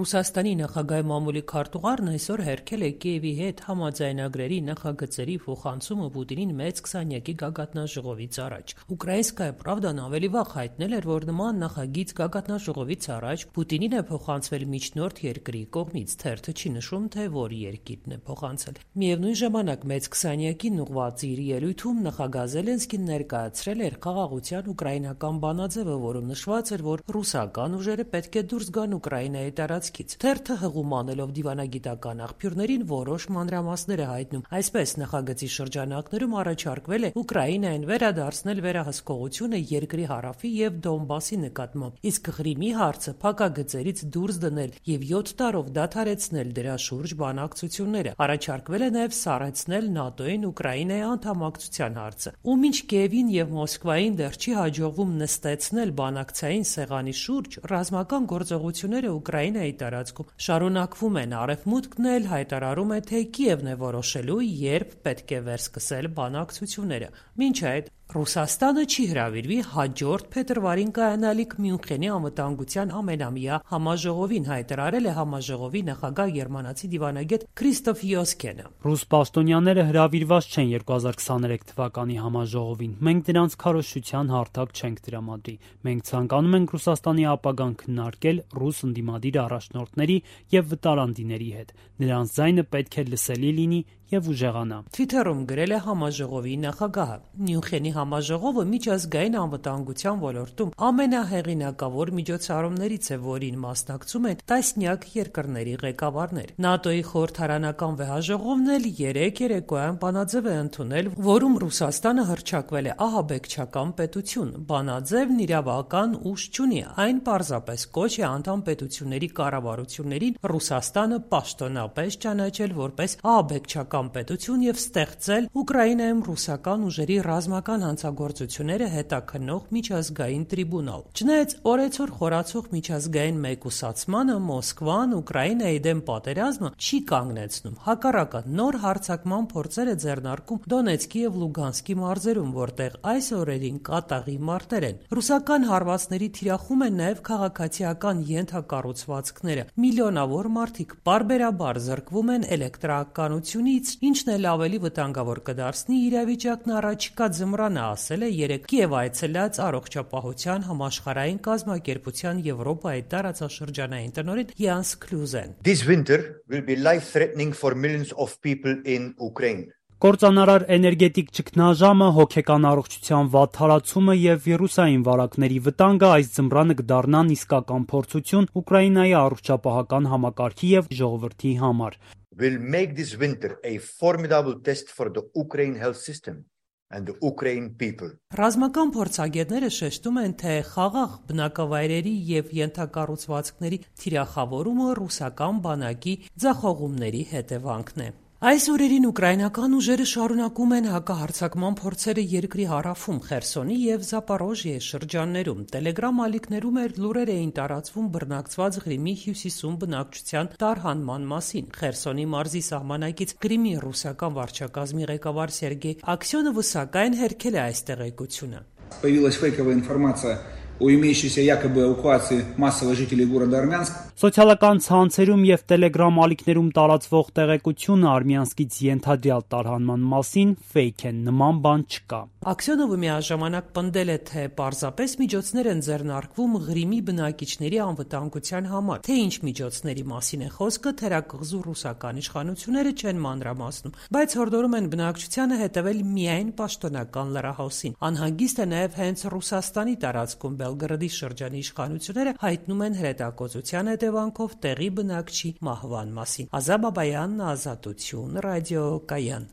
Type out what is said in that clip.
Ռուսաստանի նախագահի մամուլի քարտուղարն այսօր հերքել է Կիևի հետ համաձայնագրերի նախագծերի փոխանցումը Պուտինին մեծ 20-յակի գագաթնաժողովից առաջ։ Ուկրաինսկայա Պրավդան ավելի վաղ հայտնել էր, որ նման նախագիծ գագաթնաժողովից առաջ Պուտինին է փոխանցվել միջնորդ երկրի կողմից։ Թերթը չի նշում, թե որ երկիրն է փոխանցել։ Միևնույն ժամանակ մեծ 20-յակին ուղղված իր ելույթում նախագահ Զելենսկին ներկայացրել էր խաղաղության ուկրաինական բանաձևը, որում նշված էր, որ ռուսական ուժերը պետք է դուրս գան Ուկրաինայի տարածքից։ Թերթը հղում անելով դիվանագիտական աղբյուրներին որոշ մանրամասներ է հայտնում։ Այսպես նախագծի շրջանակներում առաջարկվել է Ուկրաինային վերադարձնել վերահսկողությունը երկրի հարավի եւ Դոնբասի նկատմամբ, իսկ Ղրիմի հարցը փակագծերից դուրս դնել եւ 7 տարով դադարեցնել դրա շուրջ բանակցությունները։ Առաջարկվել է նաեւ սառեցնել ՆԱՏՕ-ին Ուկրաինայի անդամակցության հարցը։ Ու մինչ Կիևին եւ Մոսկվային դեռ չի հաջողվում նստեցնել բանակցային սեղանի շուրջ, ռազմական գործողությունները Ուկրաինայի տարածքում շարունակվում են։ Արևմուտքն էլ հայտարարում է, թե Կիևն է որոշելու, երբ պետք է վերսկսել բանակցությունները։ Մինչ այդ Ռուսաստանը չի հրավիրվի հաջորդ փետրվարին կայանալիք Մյունխենի անվտանգության ամենամյա համաժողովին, հայտարարել է համաժողովի նախագահ գերմանացի դիվանագետ Քրիստոֆ Յոսկենը։ Ռուս պաշտոնյաները հրավիրված չեն 2023 թվականի համաժողովին։ Մենք դրանց քարոզչության հարթակ չենք տրամադրի։ Մենք ցանկանում ենք Ռուսաստանի ապագան քննարկել ռուս ընդդիմադիր առաջնորդների եւ վտարանդիների հետ։ Նրանց ձայնը պետք է լսելի լինի եւ ուժեղանա։ Թվիթերում գրել է համաժողովի նախագահը։ Մյունխենի համաժողովը միջազգային անվտանգության ոլորտում ամենահեղինակավոր միջոցառումներից է, որին մասնակցում են տասնյակ երկրների ղեկավարներ։ ՆԱՏՕ-ի խորհրդարանական վեհաժողովն էլ 3 երեկոյան բանաձև է ընդունել, որում Ռուսաստանը հռչակվել է ահաբեկչական պետություն։ Բանաձևն իրավական ուժ չունի, այն պարզապես կոչ է անդամ պետությունների կառավարություններին Ռուսաստանը պաշտոնապես ճանաչել որպես ահաբեկչական պետություն եւ ստեղծել Ուկրաինայում ռուսական ուժերի ռազմական հանցագործությունները հետաքննող միջազգային տրիբունալ։ Չնայած օրեցօր խորացող միջազգային մեկուսացմանը, Մոսկվան Ուկրաինայի դեմ պատերազմը չի կանգնեցնում։ Հակառակը, նոր հարձակման փորձեր է ձեռնարկում Դոնեցկի եւ Լուգանսկի մարզերում, որտեղ այս օրերին կատաղի մարտեր են։ Ռուսական հարվածների թիրախում են նաեւ քաղաքացիական ենթակառուցվածքները։ Միլիոնավոր մարդիկ պարբերաբար զրկվում են էլեկտրականությունից, ինչն էլ ավելի վտանգավոր կդարձնի իրավիճակն առաջիկա ձմռանը, ասել է երեկ Կիև այցելած Առողջապահության համաշխարհային կազմակերպության Եվրոպայի տարածաշրջանային տնօրեն Յանս Քլյուզեն։ This winter will be life-threatening for millions of people in Ukraine. Կործանարար էներգետիկ ճգնաժամը, հոգեկան առողջության վատ թարացումը եւ վիրուսային վարակների վտանգը այս ձմռանը կդառնան իսկական փորձություն Ուկրաինայի առողջապահական համակարգի եւ ժողովրդի համար։ Will make this winter a formidable test for the Ukraine health system and the Ukraine people. Ռազմական փորձագետները շեշտում են, թե խաղաղ բնակավայրերի եւ ենթակառուցվածքների թիրախավորումը ռուսական բանակի ձախողումների հետևանքն է։ Այս օրերին ուկրաինական ուժերը շարունակում են հակահարձակման փորձերը երկրի հարավում, Խերսոնի եւ Զապորոժիեի շրջաններում։ Տելեգրամ ալիքներում լուրեր էին տարածվում բռնակցված Ղրիմի հյուսիսում բնակչության տարհանման մասին։ Խերսոնի մարզի սահմանակից Ղրիմի ռուսական վարչակազմի ղեկավար Սերգեյ Աքսյոնովը սակայն հերքել է այս տեղեկությունը։ Появилась фейковая информация о имеющейся якобы эвакуации массовых жителей города Армянск. Սոցիալական ցանցերում եւ Telegram ալիքներում տարածվող տեղեկությունը Արմյանսկից ենթադրյալ տարհանման մասին ֆեյք են, նման բան չկա։ Աքսյոնովը միաժամանակ պնդել է, թե պարզապես միջոցներ են ձեռնարկվում Ղրիմի բնակիչների անվտանգության համար։ Թե ինչ միջոցների մասին է խոսքը, թերակղզու ռուսական իշխանությունները չեն մանրամասնում, բայց հորդորում են բնակչությանը հետևել միայն պաշտոնական լրահոսին։ Անհանգիստ է նաեւ հենց Ռուսաստանի տարածքում Բելգրադի շրջանի իշխանությունները հայտնում են հրետակոծության հետևանքով տեղի բնակչի մահվան մասին։ Ազա Բաբայան, Ազատություն, ռադիո Կայան։